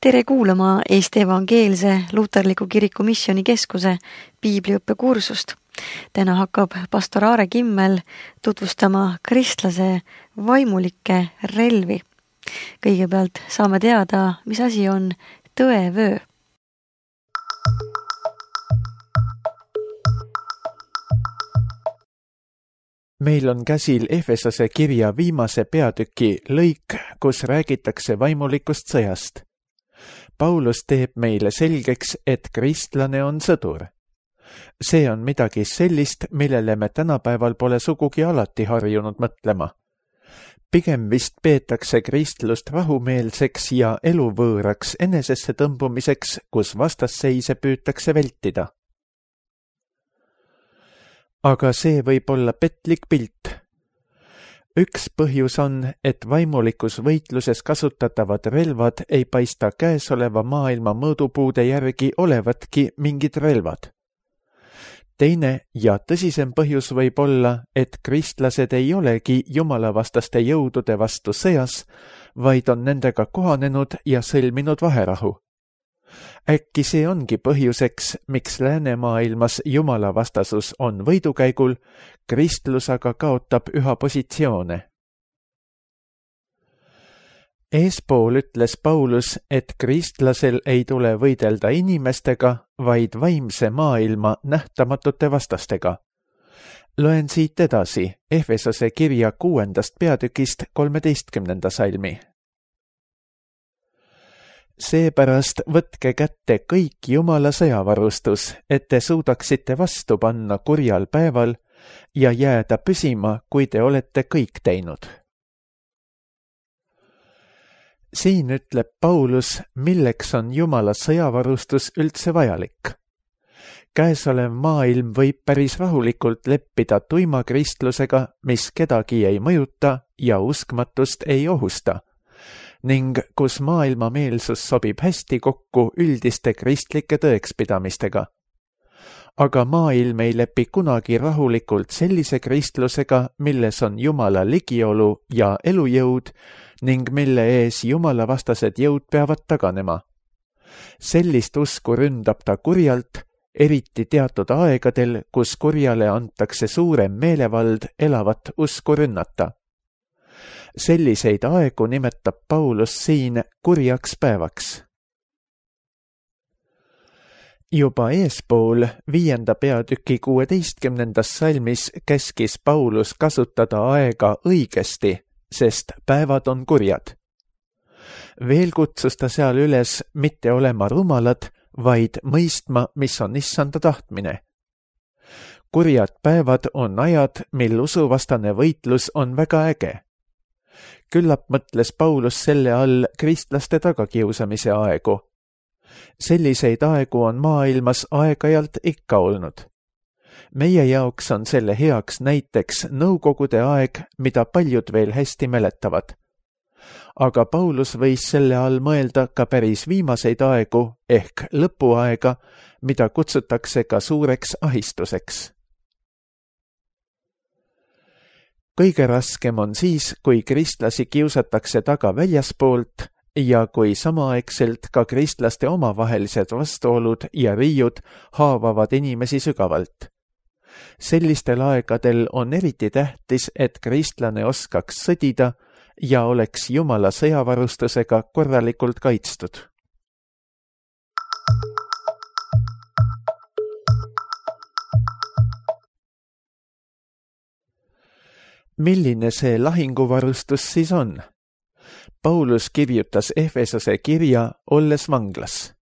Tere kuulama Eesti Evangeelse Luterliku Kiriku Missioonikeskuse piibliõppekursust. Täna hakkab pastor Aare Kimmel tutvustama kristlase vaimulikke relvi. Kõigepealt saame teada, mis asi on tõevöö. Meil on käsil Efesose kirja viimase peatüki lõik, kus räägitakse vaimulikust sõjast. Paulus teeb meile selgeks, et kristlane on sõdur. See on midagi sellist, millele me tänapäeval pole sugugi alati harjunud mõtlema. Pigem vist peetakse kristlust rahumeelseks ja eluvõõraks enesesse tõmbumiseks, kus vastasseise püütakse vältida. Aga see võib olla petlik pilt. Üks põhjus on, et vaimulikus võitluses kasutatavad relvad ei paista käesoleva maailma mõõdupuude järgi olevatki mingid relvad. Teine ja tõsisem põhjus võib olla, et kristlased ei olegi jumalavastaste jõudude vastu sõjas, vaid on nendega kohanenud ja sõlminud vaherahu. Äkki see ongi põhjuseks, miks läänemaailmas jumalavastasus on võidukäigul, kristlus aga kaotab üha positsioone. Eespool ütles Paulus, et kristlasel ei tule võidelda inimestega, vaid vaimse maailma nähtamatute vastastega. Loen siit edasi Efesose kirja 6. peatükist 13. salmi. Seepärast võtke kätte kõik Jumala sõjavarustus, et te suudaksite vastu panna kurjal päeval ja jääda püsima, kui te olete kõik teinud. Siin ütleb Paulus, milleks on Jumala sõjavarustus üldse vajalik. Käesolev maailm võib päris rahulikult leppida tuima kristlusega, mis kedagi ei mõjuta ja uskmatust ei ohusta, ning kus maailmameelsus sobib hästi kokku üldiste kristlike tõekspidamistega. Aga maailm ei lepi kunagi rahulikult sellise kristlusega, milles on Jumala ligiolu ja elujõud ning mille ees jumalavastased jõud peavad taganema. Sellist usku ründab ta kurjalt, eriti teatud aegadel, kus kurjale antakse suurem meelevald elavat usku rünnata. Selliseid aegu nimetab Paulus siin kurjaks päevaks. Juba eespool 5. peatüki 16. salmis käskis Paulus kasutada aega õigesti, sest päevad on kurjad. Veel kutsus ta seal üles mitte olema rumalad, vaid mõistma, mis on issanda tahtmine. Kurjad päevad on ajad, mil usuvastane võitlus on väga äge. Küllap mõtles Paulus selle all kristlaste tagakiusamise aegu. Selliseid aegu on maailmas aeg-ajalt ikka olnud. Meie jaoks on selle heaks näiteks nõukogude aeg, mida paljud veel hästi mäletavad. Aga Paulus võis selle all mõelda ka päris viimaseid aegu ehk lõpuaega, mida kutsutakse ka suureks ahistuseks. Kõige raskem on siis, kui kristlasi kiusatakse taga väljaspoolt ja kui samaaegselt ka kristlaste omavahelised vastuolud ja riiud haavavad inimesi sügavalt. Sellistel aegadel on eriti tähtis, et kristlane oskaks sõdida ja oleks Jumala sõjavarustusega korralikult kaitstud. Milline see lahinguvarustus siis on? Paulus kirjutas Efesose kirja olles vanglas.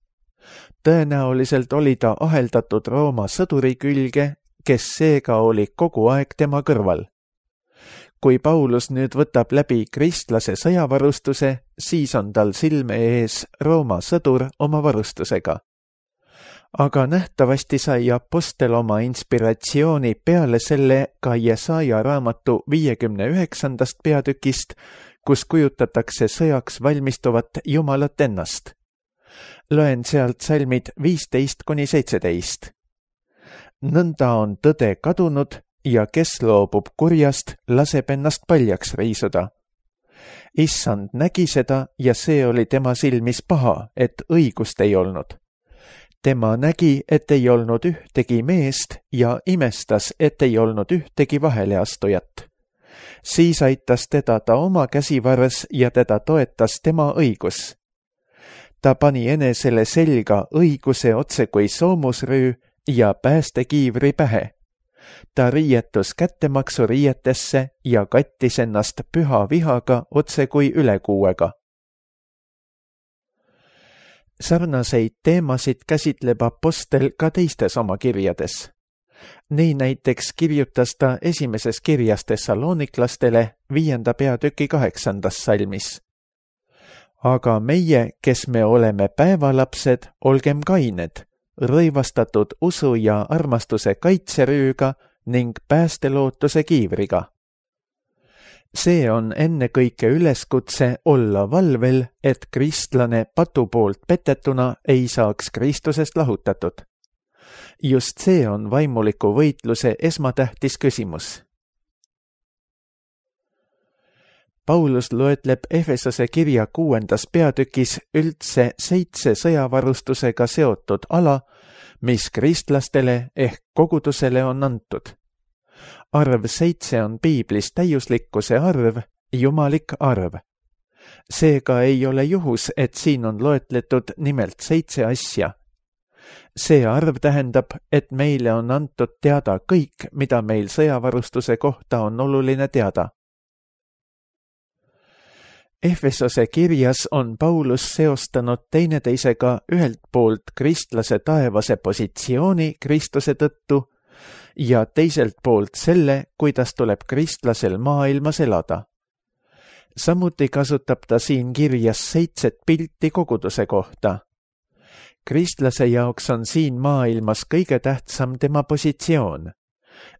Tõenäoliselt oli ta aheldatud Rooma sõduri külge, kes seega oli kogu aeg tema kõrval. Kui Paulus nüüd võtab läbi kristlase sõjavarustuse, siis on tal silme ees Rooma sõdur oma varustusega. Aga nähtavasti sai apostel oma inspiratsiooni peale selle ka Jesaja raamatu 59. peatükist, kus kujutatakse sõjaks valmistuvat Jumalat ennast. Loen sealt salmid 15-17. Nõnda on tõde kadunud ja kes loobub kurjast, laseb ennast paljaks riisuda. Issand nägi seda ja see oli tema silmis paha, et õigust ei olnud. Tema nägi, et ei olnud ühtegi meest ja imestas, et ei olnud ühtegi vaheleastujat. Siis aitas teda ta oma käsivarres ja teda toetas tema õigus. Ta pani enesele selga õiguse otse kui soomusrüü ja päästekiivri pähe. Ta riietus kättemaksuriietesse ja kattis ennast püha vihaga otse kui ülekuuega. Sarnaseid teemasid käsitleb apostel ka teistes oma kirjades. Nii näiteks kirjutas ta esimeses kirjas Thessaloniklastele 5. peatüki 8. salmis. Aga meie, kes me oleme päevalapsed, olgem kained, rõivastatud usu ja armastuse kaitserüüga ning päästelootuse kiivriga. See on ennekõike üleskutse olla valvel, et kristlane patu poolt petetuna ei saaks Kristusest lahutatud. Just see on vaimuliku võitluse esmatähtis küsimus. Paulus loetleb Efesose kirja 6. peatükis üldse 7 sõjavarustusega seotud ala, mis kristlastele ehk kogudusele on antud. Arv 7 on piiblis täiuslikkuse arv, jumalik arv. Seega ei ole juhus, et siin on loetletud nimelt 7 asja. See arv tähendab, et meile on antud teada kõik, mida meil sõjavarustuse kohta on oluline teada. Efesose kirjas on Paulus seostanud teineteisega ühelt poolt kristlase taevase positsiooni Kristuse tõttu ja teiselt poolt selle, kuidas tuleb kristlasel maailmas elada. Samuti kasutab ta siin kirjas 7 pilti koguduse kohta. Kristlase jaoks on siin maailmas kõige tähtsam tema positsioon.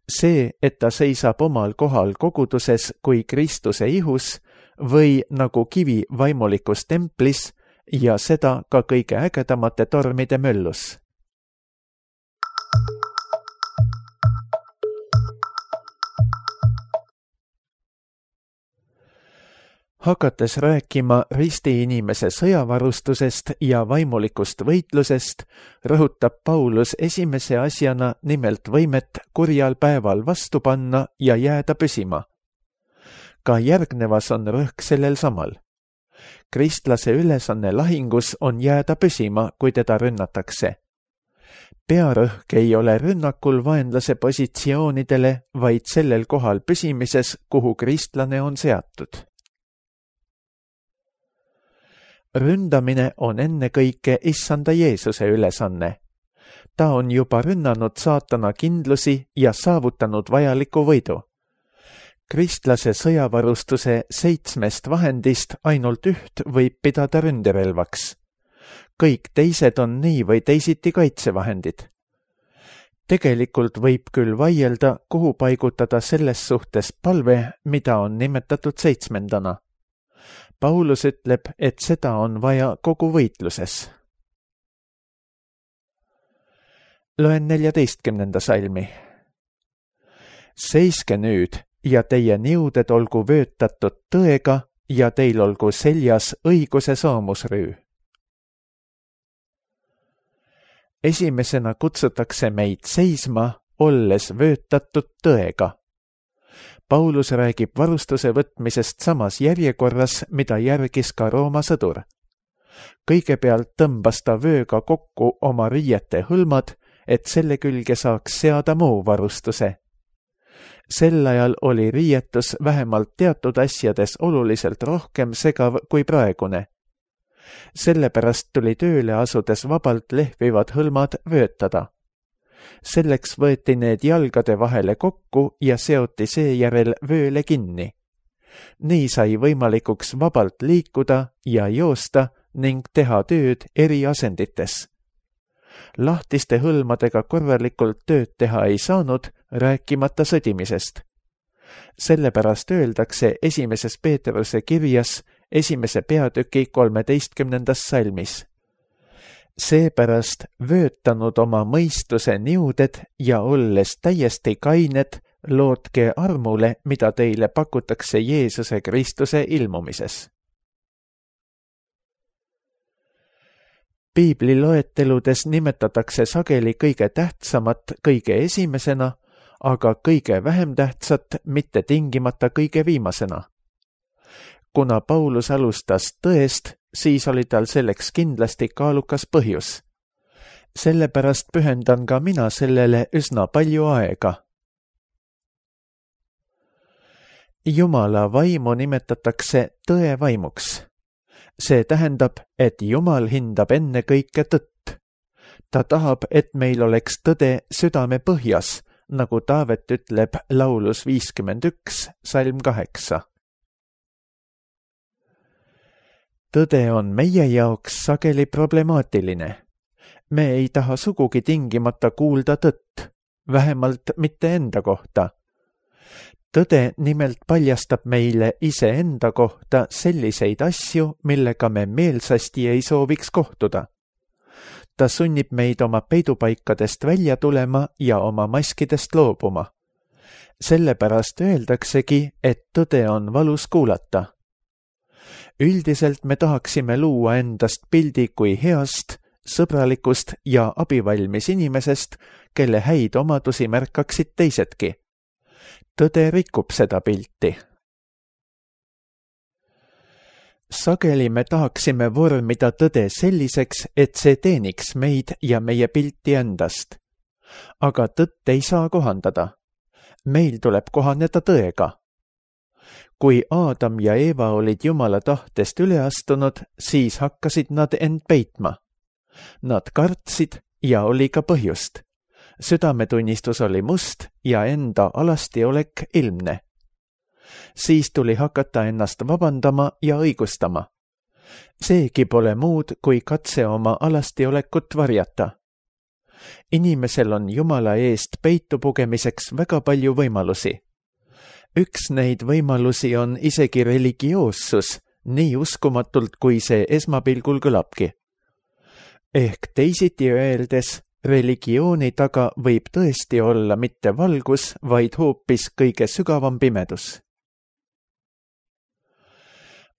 See, et ta seisab omal kohal koguduses kui Kristuse ihus või nagu kivi vaimulikus templis ja seda ka kõige ägedamate tormide möllus. Hakates rääkima ristiinimese sõjavarustusest ja vaimulikust võitlusest, rõhutab Paulus esimese asjana nimelt võimet kurjal päeval vastu panna ja jääda püsima. Ka järgnevas on rõhk sellel samal. Kristlase ülesanne lahingus on jääda püsima, kui teda rünnatakse. Pearõhk ei ole rünnakul vaenlase positsioonidele, vaid sellel kohal püsimises, kuhu kristlane on seatud. Ründamine on ennekõike issanda Jeesuse ülesanne. Ta on juba rünnanud saatana kindlusi ja saavutanud vajaliku võidu. Kristlase sõjavarustuse 7 vahendist ainult üht võib pidada ründerelvaks. Kõik teised on nii või teisiti kaitsevahendid. Tegelikult võib küll vaielda, kuhu paigutada selles suhtes palve, mida on nimetatud 7. Paulus ütleb, et seda on vaja kogu võitluses. Loen 14. salmi. Seiske nüüd ja teie niuded olgu vöötatud tõega ja teil olgu seljas õiguse soomusrüü. Esimesena kutsutakse meid seisma, olles vöötatud tõega. Paulus räägib varustuse võtmisest samas järjekorras, mida järgis ka Rooma sõdur. Kõigepealt tõmbas ta vööga kokku oma riiete hõlmad, et selle külge saaks seada muu varustuse. Sel ajal oli riietus vähemalt teatud asjades oluliselt rohkem segav kui praegune. Sellepärast tuli tööle asudes vabalt lehvivad hõlmad vöötada. Selleks võeti need jalgade vahele kokku ja seoti seejärel vööle kinni. Nii sai võimalikuks vabalt liikuda ja joosta ning teha tööd eri asendites. Lahtiste hõlmadega korralikult tööd teha ei saanud, rääkimata sõdimisest. Sellepärast öeldakse 1. Peetruse kirjas 1. peatüki 13. salmis. Seepärast vöötanud oma mõistuse niuded ja olles täiesti kained, lootke armule, mida teile pakutakse Jeesuse Kristuse ilmumises. Piibli loeteludes nimetatakse sageli kõige tähtsamat kõige esimesena, aga kõige vähem tähtsat mitte tingimata kõige viimasena. Kuna Paulus alustas tõest, siis oli tal selleks kindlasti kaalukas põhjus. Sellepärast pühendan ka mina sellele üsna palju aega. Jumala vaimu nimetatakse tõe vaimuks. See tähendab, et Jumal hindab enne kõike tõtt. Ta tahab, et meil oleks tõde südame põhjas, nagu Taavet ütleb laulus 51, salm 8. Tõde on meie jaoks sageli problemaatiline. Me ei taha sugugi tingimata kuulda tõtt, vähemalt mitte enda kohta. Tõde nimelt paljastab meile iseenda kohta selliseid asju, millega me meelsasti ei sooviks kohtuda. Ta sunnib meid oma peidupaikadest välja tulema ja oma maskidest loobuma. Sellepärast öeldaksegi, et tõde on valus kuulata. Üldiselt me tahaksime luua endast pildi kui heast, sõbralikust ja abivalmis inimesest, kelle häid omadusi märkaksid teisedki. Tõde rikub seda pilti. Sageli me tahaksime vormida tõde selliseks, et see teeniks meid ja meie pilti endast. Aga tõtt ei saa kohandada. Meil tuleb kohaneda tõega. Kui Aadam ja Eeva olid Jumala tahtest üle astunud, siis hakkasid nad end peitma. Nad kartsid ja oli ka põhjust. Südametunnistus oli must ja enda alastiolek ilmne. Siis tuli hakata ennast vabandama ja õigustama. Seegi pole muud, kui katse oma alastiolekut varjata. Inimesel on Jumala eest peitu pugemiseks väga palju võimalusi. Üks neid võimalusi on isegi religioossus, nii uskumatult, kui see esmapilgul kõlabki. Ehk teisiti öeldes, religiooni taga võib tõesti olla mitte valgus, vaid hoopis kõige sügavam pimedus.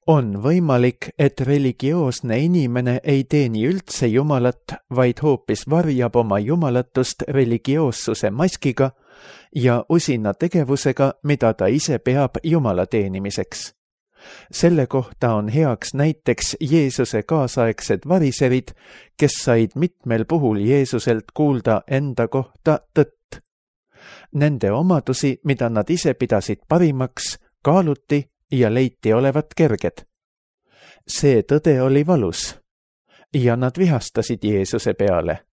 On võimalik, et religioosne inimene ei teeni üldse Jumalat, vaid hoopis varjab oma jumalatust religioossuse maskiga ja usina tegevusega, mida ta ise peab Jumala teenimiseks. Selle kohta on heaks näiteks Jeesuse kaasaegsed variserid, kes said mitmel puhul Jeesuselt kuulda enda kohta tõtt. Nende omadusi, mida nad ise pidasid parimaks, kaaluti ja leiti olevat kerged. See tõde oli valus ja nad vihastasid Jeesuse peale.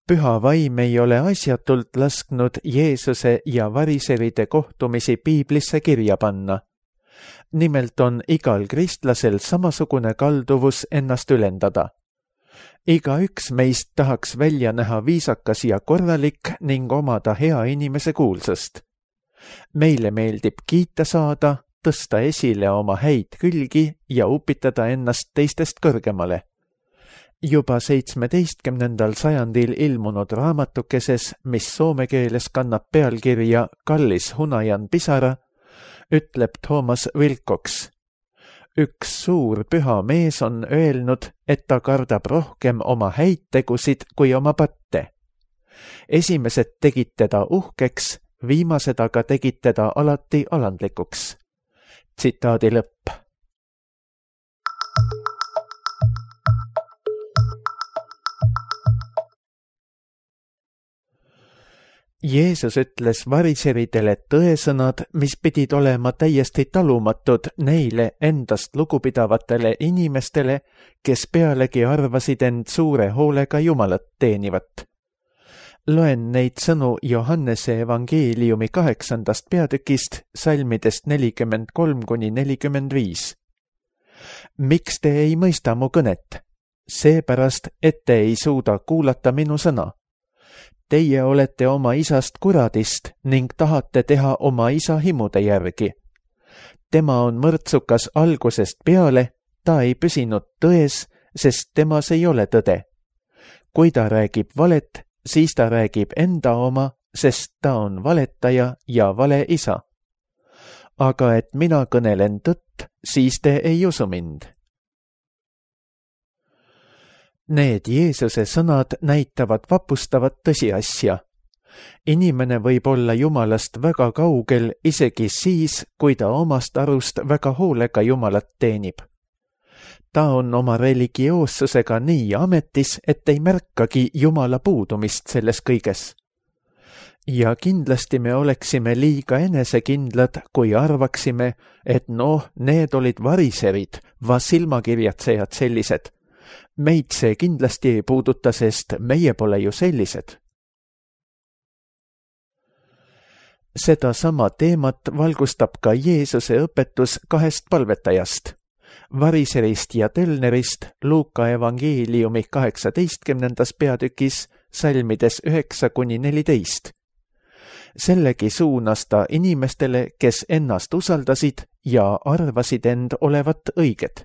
Püha vaim ei ole asjatult lasknud Jeesuse ja variseride kohtumisi Piiblisse kirja panna. Nimelt on igal kristlasel samasugune kalduvus ennast ülendada. Igaüks meist tahaks välja näha viisakas ja korralik ning omada hea inimese kuulsust. Meile meeldib kiita saada, tõsta esile oma häid külgi ja upitada ennast teistest kõrgemale. Juba 17. sajandil ilmunud raamatukeses, mis soome keeles kannab pealkirja Kallis hunajan pisara, ütleb Thomas Wilcox. Üks suur püha mees on öelnud, et ta kardab rohkem oma häid tegusid kui oma patte. Esimesed tegid teda uhkeks, viimased aga tegid teda alati alandlikuks. Tsitaadi lõpp. Jeesus ütles variseridele tõesõnad, mis pidid olema täiesti talumatud neile endast lugupidavatele inimestele, kes pealegi arvasid end suure hoolega Jumalat teenivat. Loen neid sõnu Johannese evangeeliumi 8. peatükist, salmidest 43–45. Miks te ei mõista mu kõnet? Seepärast, et te ei suuda kuulata minu sõna. Teie olete oma isast kuradist ning tahate teha oma isa himude järgi. Tema on mõrtsukas algusest peale, ta ei püsinud tões, sest temas ei ole tõde. Kui ta räägib valet, siis ta räägib enda oma, sest ta on valetaja ja valeisa. Aga et mina kõnelen tõtt, siis te ei usu mind. Need Jeesuse sõnad näitavad vapustavat tõsiasja. Inimene võib olla Jumalast väga kaugel isegi siis, kui ta omast arust väga hoolega Jumalat teenib. Ta on oma religioossusega nii ametis, et ei märkagi Jumala puudumist selles kõiges. Ja kindlasti me oleksime liiga enesekindlad, kui arvaksime, et need olid variserid, silmakirjatsejad sellised. Meid see kindlasti ei puuduta, sest meie pole ju sellised. Seda sama teemat valgustab ka Jeesuse õpetus 2 palvetajast, variserist ja tölnerist Luuka evangeeliumi 18. peatükis salmides 9-14. Sellegi suunas ta inimestele, kes ennast usaldasid ja arvasid end olevat õiged.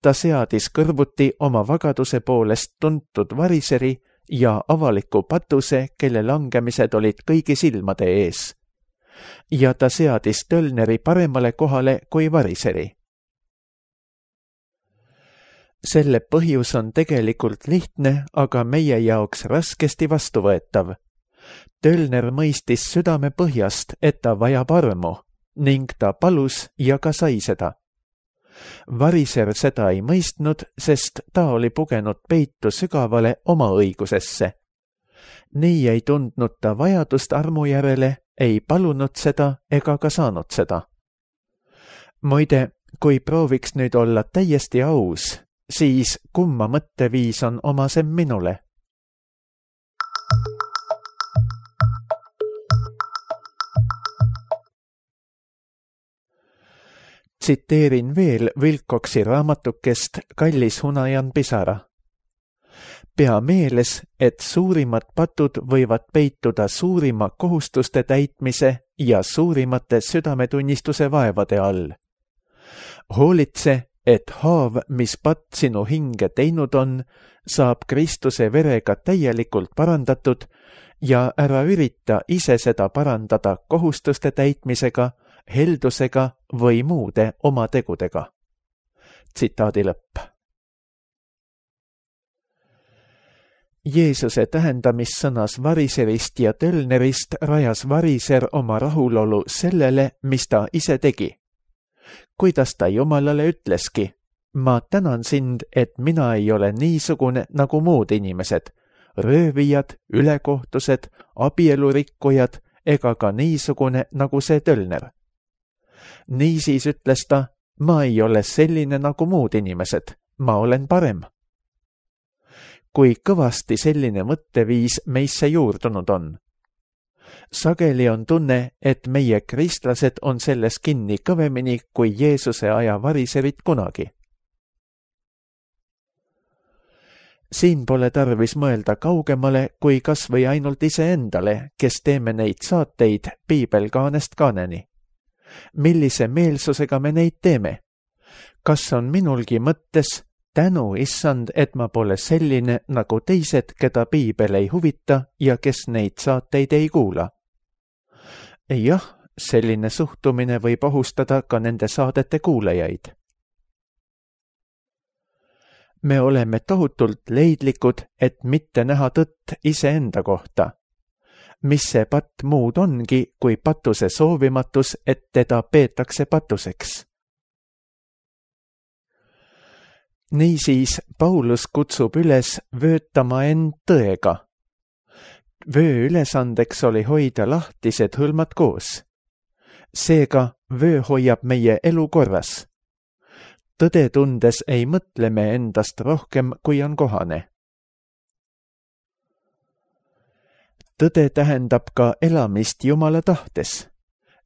Ta seadis kõrvuti oma vagaduse poolest tuntud variseri ja avaliku patuse, kelle langemised olid kõigi silmade ees. Ja ta seadis tölneri paremale kohale kui variseri. Selle põhjus on tegelikult lihtne, aga meie jaoks raskesti vastuvõetav. Tölner mõistis südame põhjast, et ta vajab armu, ning ta palus ja ka sai seda. Variser seda ei mõistnud, sest ta oli pugenud peitu sügavale oma õigusesse. Nii ei tundnud ta vajadust armu järele, ei palunud seda ega ka saanud seda. Muide, kui prooviks nüüd olla täiesti aus, siis kumma mõtteviis on omasem minule? Tsiteerin veel Wilcoxi raamatukest Kallis hunajan pisara. Pea meeles, et suurimad patud võivad peituda suurima kohustuste täitmise ja suurimate südametunnistuse vaevade all. Hoolitse, et haav, mis patt sinu hinge teinud on, saab Kristuse verega täielikult parandatud ja ära ürita ise seda parandada kohustuste täitmisega, heldusega või muude oma tegudega. Tsitaadi lõpp. Jeesuse tähendamissõnas variserist ja tölnerist rajas variser oma rahulolu sellele, mis ta ise tegi. Kuidas ta Jumalale ütleski, ma tänan sind, et mina ei ole niisugune nagu muud inimesed, röövijad, ülekohtused, abielurikkujad ega ka niisugune nagu see tölner. Niisiis ütles ta, ma ei ole selline nagu muud inimesed, ma olen parem. Kui kõvasti selline mõtteviis meisse juurdunud on. Sageli on tunne, et meie kristlased on selles kinni kõvemini kui Jeesuse aja variserid kunagi. Siin pole tarvis mõelda kaugemale kui kas või ainult iseendale, kes teeme neid saateid piibelkaanest kaaneni. Millise meelsusega me neid teeme? Kas on minulgi mõttes tänu, issand, et ma pole selline nagu teised, keda piibel ei huvita ja kes neid saateid ei kuula? Jah, selline suhtumine võib ohustada ka nende saadete kuulajaid. Me oleme tohutult leidlikud, et mitte näha tõtt iseenda kohta. Mis see patt muud ongi, kui patuse soovimatus, et teda peetakse patuseks. Niisiis Paulus kutsub üles vöötama end tõega. Vöö ülesandeks oli hoida lahtised hõlmad koos. Seega vöö hoiab meie elu korras. Tõde tundes ei mõtle me endast rohkem, kui on kohane. Tõde tähendab ka elamist Jumala tahtes.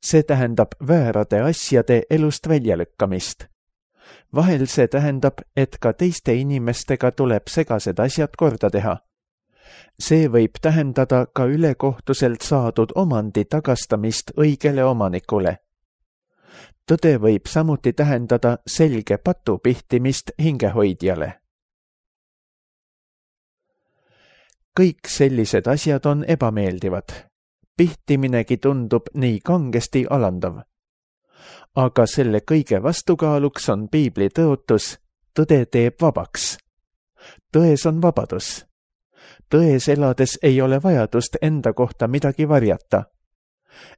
See tähendab väärade asjade elust väljalükkamist. Vahel see tähendab, et ka teiste inimestega tuleb segased asjad korda teha. See võib tähendada ka ülekohtuselt saadud omandi tagastamist õigele omanikule. Tõde võib samuti tähendada selge patu pihtimist hingehoidjale. kõik sellised asjad on ebameeldivad. Pihtiminegi tundub nii kangesti alandav. Aga selle kõige vastukaaluks on piibli tõotus, tõde teeb vabaks. Tões on vabadus. Tões elades ei ole vajadust enda kohta midagi varjata.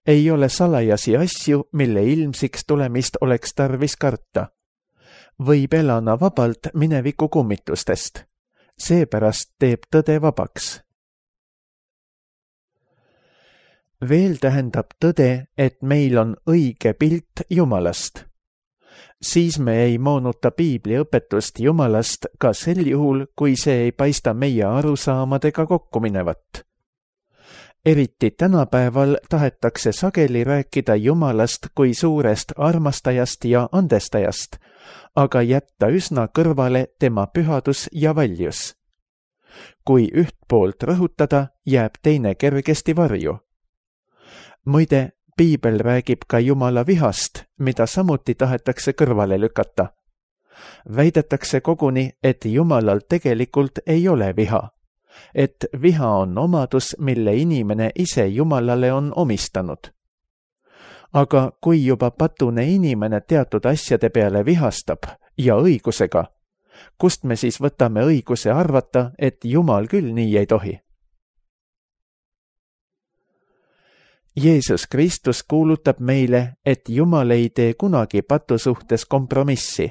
Ei ole salajasi asju, mille ilmsiks tulemist oleks tarvis karta. Võib elada vabalt mineviku kummitustest. Seepärast teeb tõde vabaks. Veel tähendab tõde, et meil on õige pilt Jumalast. Siis me ei moonuta piibli õpetust Jumalast ka sel juhul, kui see ei paista meie arusaamadega kokku minevat. Eriti tänapäeval tahetakse sageli rääkida Jumalast kui suurest armastajast ja andestajast, aga jätta üsna kõrvale tema pühadus ja valjus. Kui üht poolt rõhutada, jääb teine kergesti varju. Muide, piibel räägib ka Jumala vihast, mida samuti tahetakse kõrvale lükata. Väidetakse koguni, et Jumalal tegelikult ei ole viha, et viha on omadus, mille inimene ise Jumalale on omistanud. Aga kui juba patune inimene teatud asjade peale vihastab ja õigusega, kust me siis võtame õiguse arvata, et Jumal küll nii ei tohi? Jeesus Kristus kuulutab meile, et Jumal ei tee kunagi patu suhtes kompromissi.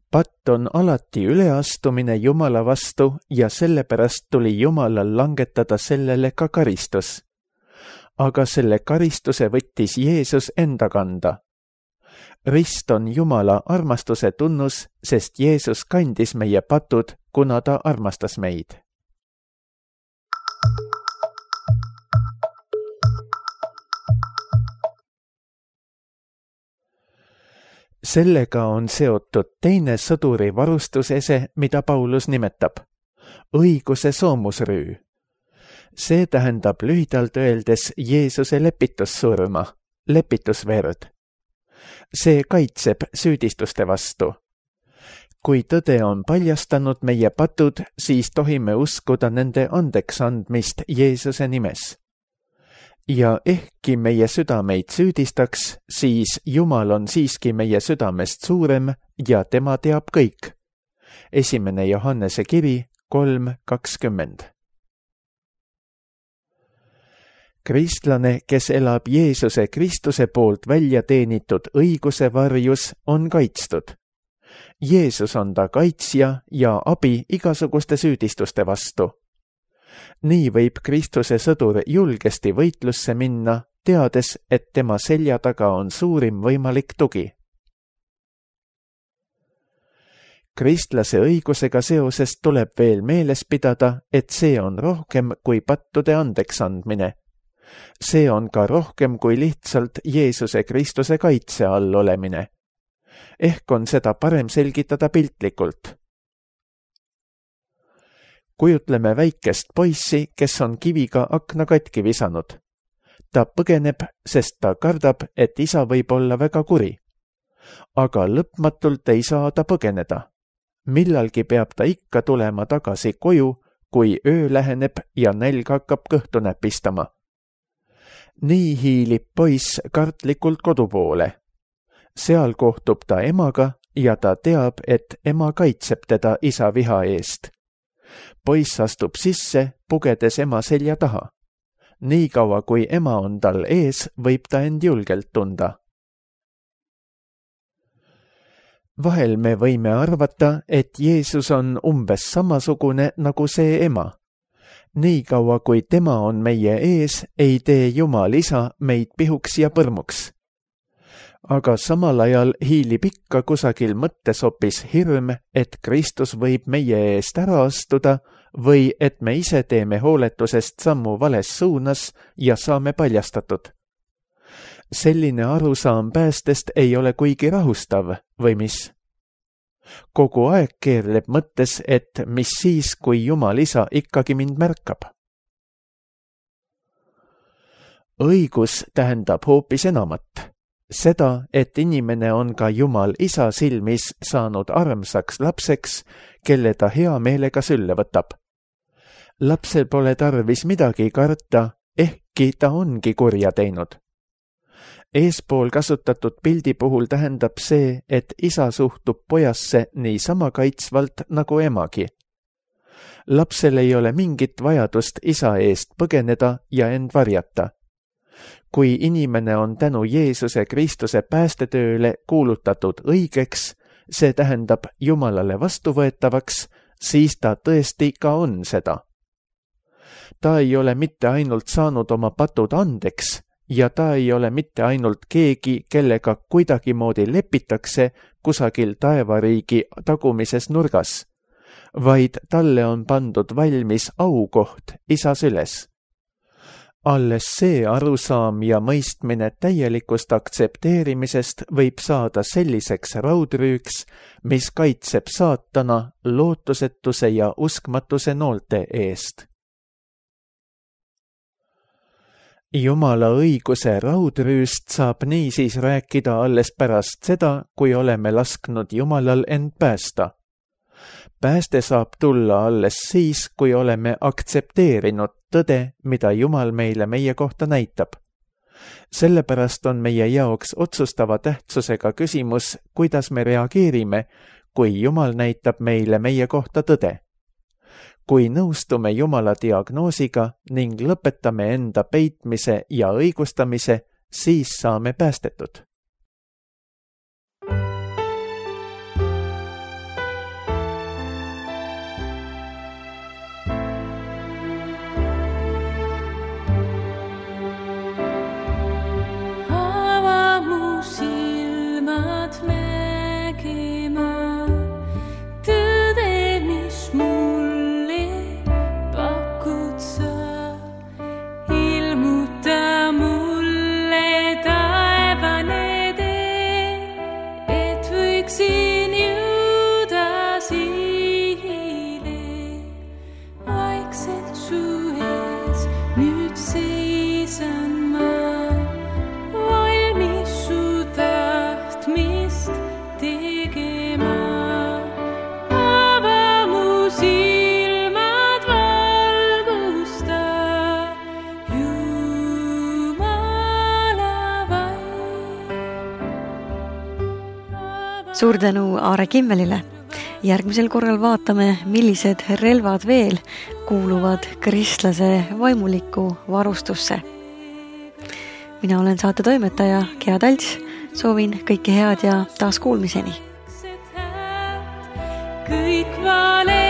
Patt on alati üleastumine Jumala vastu ja sellepärast tuli Jumalal langetada sellele ka karistus. Aga selle karistuse võttis Jeesus enda kanda. Rist on Jumala armastuse tunnus, sest Jeesus kandis meie patud, kuna ta armastas meid. Sellega on seotud teine sõduri varustusese, mida Paulus nimetab õiguse soomusrüü. See tähendab lühidalt öeldes Jeesuse lepitussurma, lepitusverd. See kaitseb süüdistuste vastu. Kui tõde on paljastanud meie patud, siis tohime uskuda nende andeks andmist Jeesuse nimes. Ja ehkki meie südameid süüdistaks, siis Jumal on siiski meie südamest suurem ja tema teab kõik. 1. Johannese kiri 3:20. Kristlane, kes elab Jeesuse Kristuse poolt välja teenitud õiguse varjus, on kaitstud. Jeesus on ta kaitsja ja abi igasuguste süüdistuste vastu. Nii võib Kristuse sõdur julgesti võitlusse minna, teades, et tema selja taga on suurim võimalik tugi. Kristlase õigusega seoses tuleb veel meeles pidada, et see on rohkem kui pattude andeks andmine. See on ka rohkem kui lihtsalt Jeesuse Kristuse kaitse all olemine. Ehk on seda parem selgitada piltlikult. Kujutleme väikest poissi, kes on kiviga akna katki visanud. Ta põgeneb, sest ta kardab, et isa võib olla väga kuri. Aga lõpmatult ei saa ta põgeneda. Millalgi peab ta ikka tulema tagasi koju, kui öö läheneb ja nälg hakkab kõhtu näpistama. Nii hiilib poiss kartlikult kodu poole. Seal kohtub ta emaga ja ta teab, et ema kaitseb teda isa viha eest. Poiss astub sisse, pugedes ema selja taha. Nii kaua, kui ema on tal ees, võib ta end julgelt tunda. Vahel me võime arvata, et Jeesus on umbes samasugune nagu see ema. Nii kaua, kui tema on meie ees, ei tee Jumal isa meid pihuks ja põrmuks. Aga samal ajal hiilib ikka kusagil mõttes hoopis hirm, et Kristus võib meie eest ära astuda või et me ise teeme hooletusest sammu vales suunas ja saame paljastatud. Selline arusaam päästest ei ole kuigi rahustav, või mis? Kogu aeg keerleb mõttes, et mis siis, kui Jumal isa ikkagi mind märkab. Õigus tähendab hoopis enamat. Seda, et inimene on ka Jumal isa silmis saanud armsaks lapseks, kelle ta hea meelega sülle võtab. Lapsel pole tarvis midagi karta, ehkki ta ongi kurja teinud. Eespool kasutatud pildi puhul tähendab see, et isa suhtub pojasse niisama kaitsvalt nagu emagi. Lapsel ei ole mingit vajadust isa eest põgeneda ja end varjata. Kui inimene on tänu Jeesuse Kristuse päästetööle kuulutatud õigeks, see tähendab Jumalale vastuvõetavaks, siis ta tõesti ka on seda. Ta ei ole mitte ainult saanud oma patud andeks ja ta ei ole mitte ainult keegi, kellega kuidagimoodi lepitakse kusagil taevariigi tagumises nurgas, vaid talle on pandud valmis aukoht isa süles. Alles see arusaam ja mõistmine täielikust aktsepteerimisest võib saada selliseks raudrüüks, mis kaitseb saatana lootusetuse ja uskmatuse noolte eest. Jumala õiguse raudrüüst saab niisiis rääkida alles pärast seda, kui oleme lasknud Jumalal end päästa. Pääste saab tulla alles siis, kui oleme aktsepteerinud tõde, mida Jumal meile meie kohta näitab. Sellepärast on meie jaoks otsustava tähtsusega küsimus, kuidas me reageerime, kui Jumal näitab meile meie kohta tõde. Kui nõustume Jumala diagnoosiga ning lõpetame enda peitmise ja õigustamise, siis saame päästetud. Suur tänu Aare Kimmelile. Järgmisel korral vaatame, millised relvad veel kuuluvad kristlase vaimulikku varustusse. Mina olen saate toimetaja Gea Talts. Soovin kõike head ja taas kuulmiseni. Kõik vale